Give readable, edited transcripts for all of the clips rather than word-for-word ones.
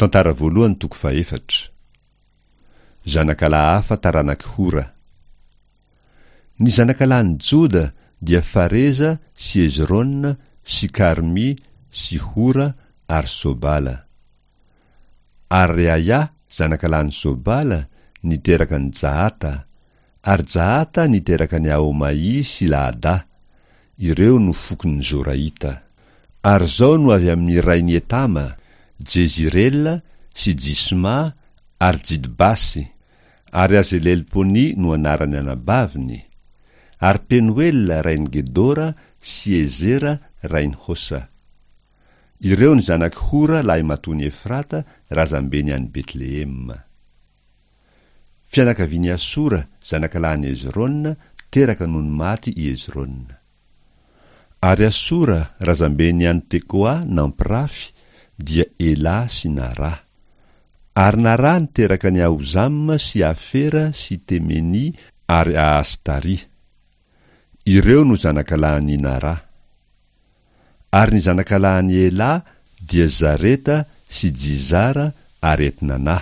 Tantara voalohany toko fahefatra. Zanakalahy hafa taranak'i Hora. Ny zanakalahin'i Joda dia Fareza sy Hezrona sy Karmy sy Hora ary Sobala. Ary Reaia zanakalahin'i Sobala niteraka an'i Jahata, ary Jahata niteraka an'i Ahomaỳ sy Lahadà, ireo no fokon'ny Zoraita. Ary izao no avy amin'ny rain'i Etama, Jezirela sy Jisma ary Jidbasy, ary Azelelpony no anaran'ny anabaviny, ary Penoela rain'i Gedora sy Ezera rain'i Hosa. Ireo ny zanak'i Hora lahimatoan'i Efrata razambeny any Betlehema. Fianakavian'i Asora zanakalahin'i Hezrona teraka nony maty i Hezrona. Ary Asora razamben'ny any Tekoa nampirafy dia Elà sy Narà. Ary Narà niteraka an'i Ahozama sy Afera sy Temeny ary Ahastarì. Ireo no zanakalahin'i Narà. Ary ny zanakalahin'i Elà dia Zareta sy Jizara ary Etnanà.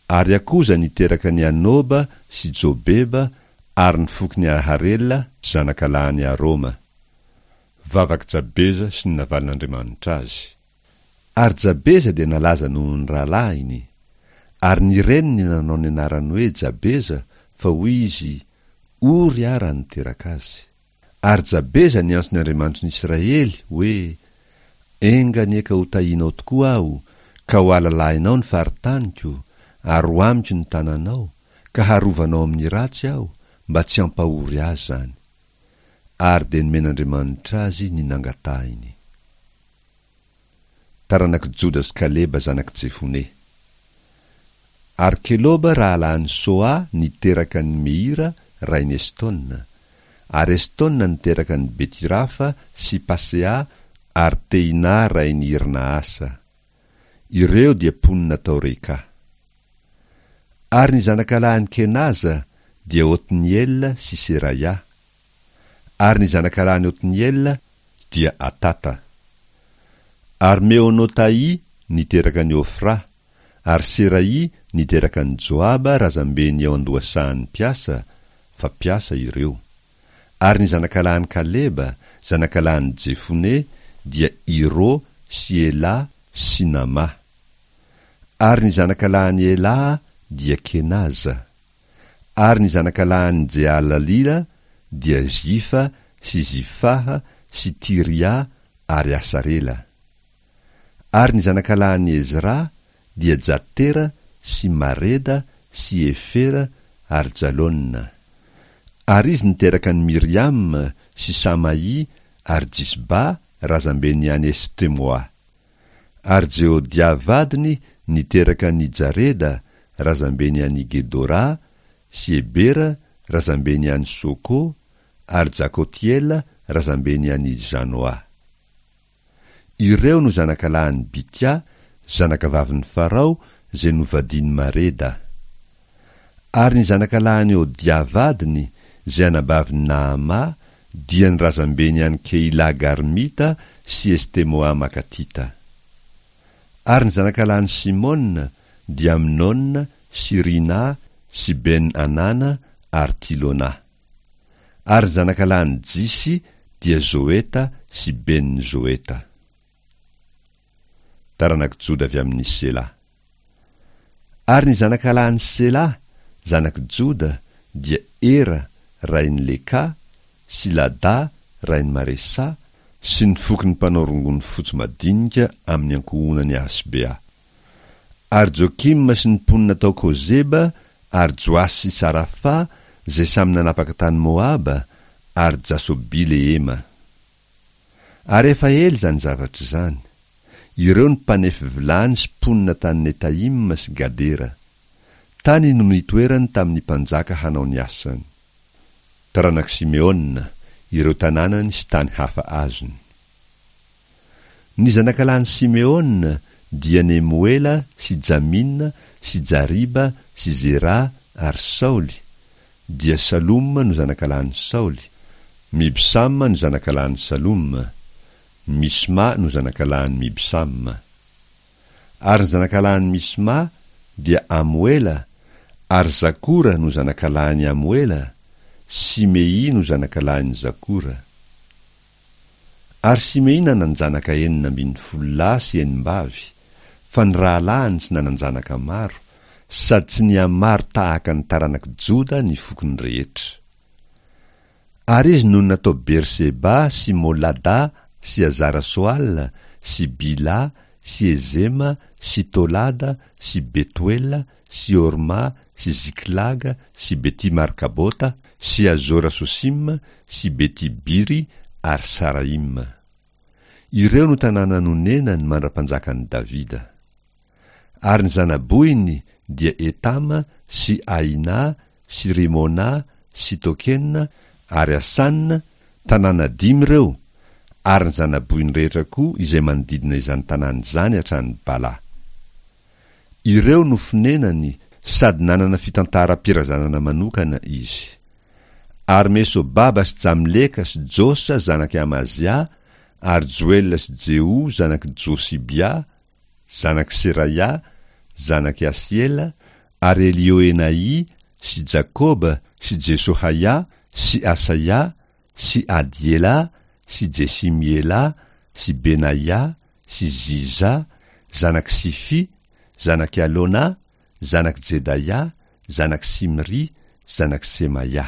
Ary Akoza niteraka an'i Anoba sy Jobeba ary ny fokon'i Aharela zanakalahin'i Aroma. Vavak'i Jabeza sy ny navalin'Andriamanitra azy. Ary Jabeza dia nalaza noho ny rahalahiny. Ary ny reniny nanao ny anarany hoe Jabeza, fa hoy izy, Ory aho raha niteraka azy. Ary Jabeza niantso ny Andriamanitry ny Isiraely, hoe, Enga anie ka ho tahianao tokoa aho, ka ho alalahinao ny faritaniko, ary ho amiko ny tananao, ka harovanao amin'ny ratsy aho, mba tsy hampahory ahy izany. Ary dia nomen'Andriamanitra azy ny nangatahiny. Taranak'i Joda sy Kaleba zanak'i Jefone. Ary Keloba rahalahin'i Soa niteraka an'i Meira rain'i Estona. Ary Estona niteraka an'i Betirafa sy Pasea ary Tehina rain'i Irnaasa. Ireo dia mponina tao Reka. Ary ny zanakalahin'i Kenaza dia Otniela sy Seraia. Ary ny zanakalahin'i Otniela dia Atata. Ary Meonotaì niteraka an'i Ofra, ary Seraì niteraka an'i Joaba razamben'ny ao an-dohasahan'ny mpiasa, fa mpiasa ireo. Ary ny zanakalahin'i Kaleba, zanakalahin'i Jefone, dia Iro sy Elà sy Namà. Ary ny zanakalahin'i Elà dia Kenaza. Ary ny zanakalahin'i Jehalalila dia Zifa sy Zifaha sy Tiria ary Asarela. Ary ny zanakalahin'i Ezra dia Jatera sy Mareda sy Efera ary Jalona. Ary izy niteraka an'i Miriama sy Samaì ary Jisba razamben'i Anestemoa. Ary Jehodia vadiny niteraka an' i Jareda, razambeny an' i Gedorà, sy Hebera, razambeny an' i Soko, ary Jakotiela, razambeny an' i Janoà. Ireo no zanakalahin' i Bitia, zanakavavin' i Farao, izay novadin' i Mareda. Ary ny zanakalahin' i Hodia vadiny, izay anabavin' i Naamà, dia ny razambeny any Keilà Garmita sy Estemoà Makatita. Ary ny zanakalahin'i Simôna dia Amnôna sy Rinà sy Ben-Anàna ary Tilônà. Ary ny zanakalahin'i Jisy dia Zôeta sy Ben-Zôeta. Taranak'i Joda avy amin'i Selà. Ary ny zanakalahin'i Selà, zanak'i Joda, dia Era, rain'i Lekà, sy Ladà, rain'i Maresà, sy ny fokon'ny mpanao rongony fotsy madinika amin'ny ankohonan'i Asbea. Ary Jokima sy ny mponina tao Kozeba, ary Joasy sy Sarafa, izay samy nanapaka tany Moaba, ary Jasobi-lehema. Ary efa ela izany zavatra izany. Ireo ny mpanefy vilany sy mponina tany Netaima sy Gadera. Tany no nitoerany tamin'ny mpanjaka hanao ny asany. Taranak'i Simeona, ireo tanànany sy tany hafa azony. Ny zanakalahin'i Simeona dia Nemoela sy Jamina sy Jariba sy Zera ary Saoly, dia Saloma no zanakalahin'i Saoly, Mibsama no zanakalahin'i Saloma, Misma no zanakalahin'i Mibsama. Ary ny zanakalahin'i Misma dia Amoela, ary Zakora no zanakalahin'i Amoela, Simey no zanakalahin'i Zakora. Ary Simey nanan-janaka 16 lahy sy enim-bavy, fa ny rahalahiny tsy nanan-janaka maro, sady tsy nihamaro tahaka ny taranak'i Joda ny fokony rehetra. Ary izy nonina tao Berseba sy Molada sy Hazara-soala sy Bila sy Ezema sy Tolada sy Betoela sy Horma sy Ziklaga sy Beti-markabota sy Hazora-sosima sy Beti-biry ary Saraima. Ireo no tanàna nonenany mandra-panjakan'i Davida. Ary ny zana-bohiny dia Etama sy Aina sy Rimona sy Tokena ary Asana, tanàna dimy ireo, ary ny zana-bohiny rehetra koa izay manodidina izany tanàna izany hatrany Bala. Ireo no fonenany sady nanana fitantaram-pirazanana manokana izy. Ary Mesobaba sy Jamleka sy Josa zanak'i Amazia ary Joela sy Jeho zanak'i Josibia, zanak'i Seraia, zanak'i Asiela, ary Elioenai sy Jakoba sy Jesohaia sy Asaia sy Adiela sy Jesimiela sy Benaia sy Ziza, zanak'i Sifi, zanak'i Alona, zanak'i Jedaia, zanak'i Simry, zanak'i Semaia.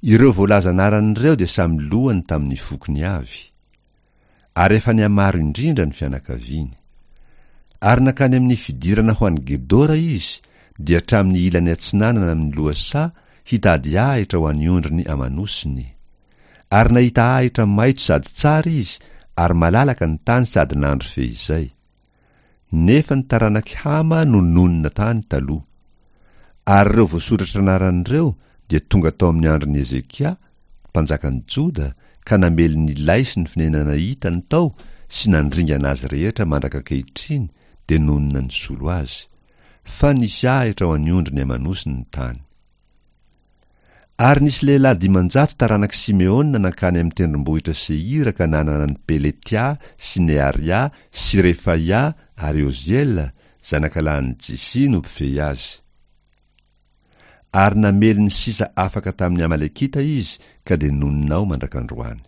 Ireo voalaza anarana ireo dia samy lohany tamin'ny fokony avy. Ary efa nihamaro indrindra ny fianakaviany. Ary nankany amin'ny fidirana ho any Gedora izy, dia hatramin'ny ilany atsinanana amin'ny lohasaha hitady ahitra ho an'ny ondriny aman'osiny. Ary nahita ahitra maitso sady tsara izy, ary malalaka ny tany sady nandry feizay. Nefa ny taranak'i Hama no nonina tany taloha. Ary ireo voasoratra anarana ireo dia tonga tao amin'ny andron'i Hezekia, mpanjakan'i Joda, ka namely ny lay sy ny fonenana hitany tao sy nandringana azy rehetra mandraka ankehitriny, dia nonina nisolo azy. Fa nisy ahitra ho an'ny ondriny aman'osy ny tany. Ary nisy lehilahy 500 taranak'i Simeona nankany amin'ny tendrombohitra Seira ka nanana an'i Peletia sy Nearia sy Refaia ary Oziela, zanakalahin'i Jisia no mpifehy azy. Ary namely ny sisa afaka tamin'ny Amalekita izy ka dia nonina ao mandrak'androany.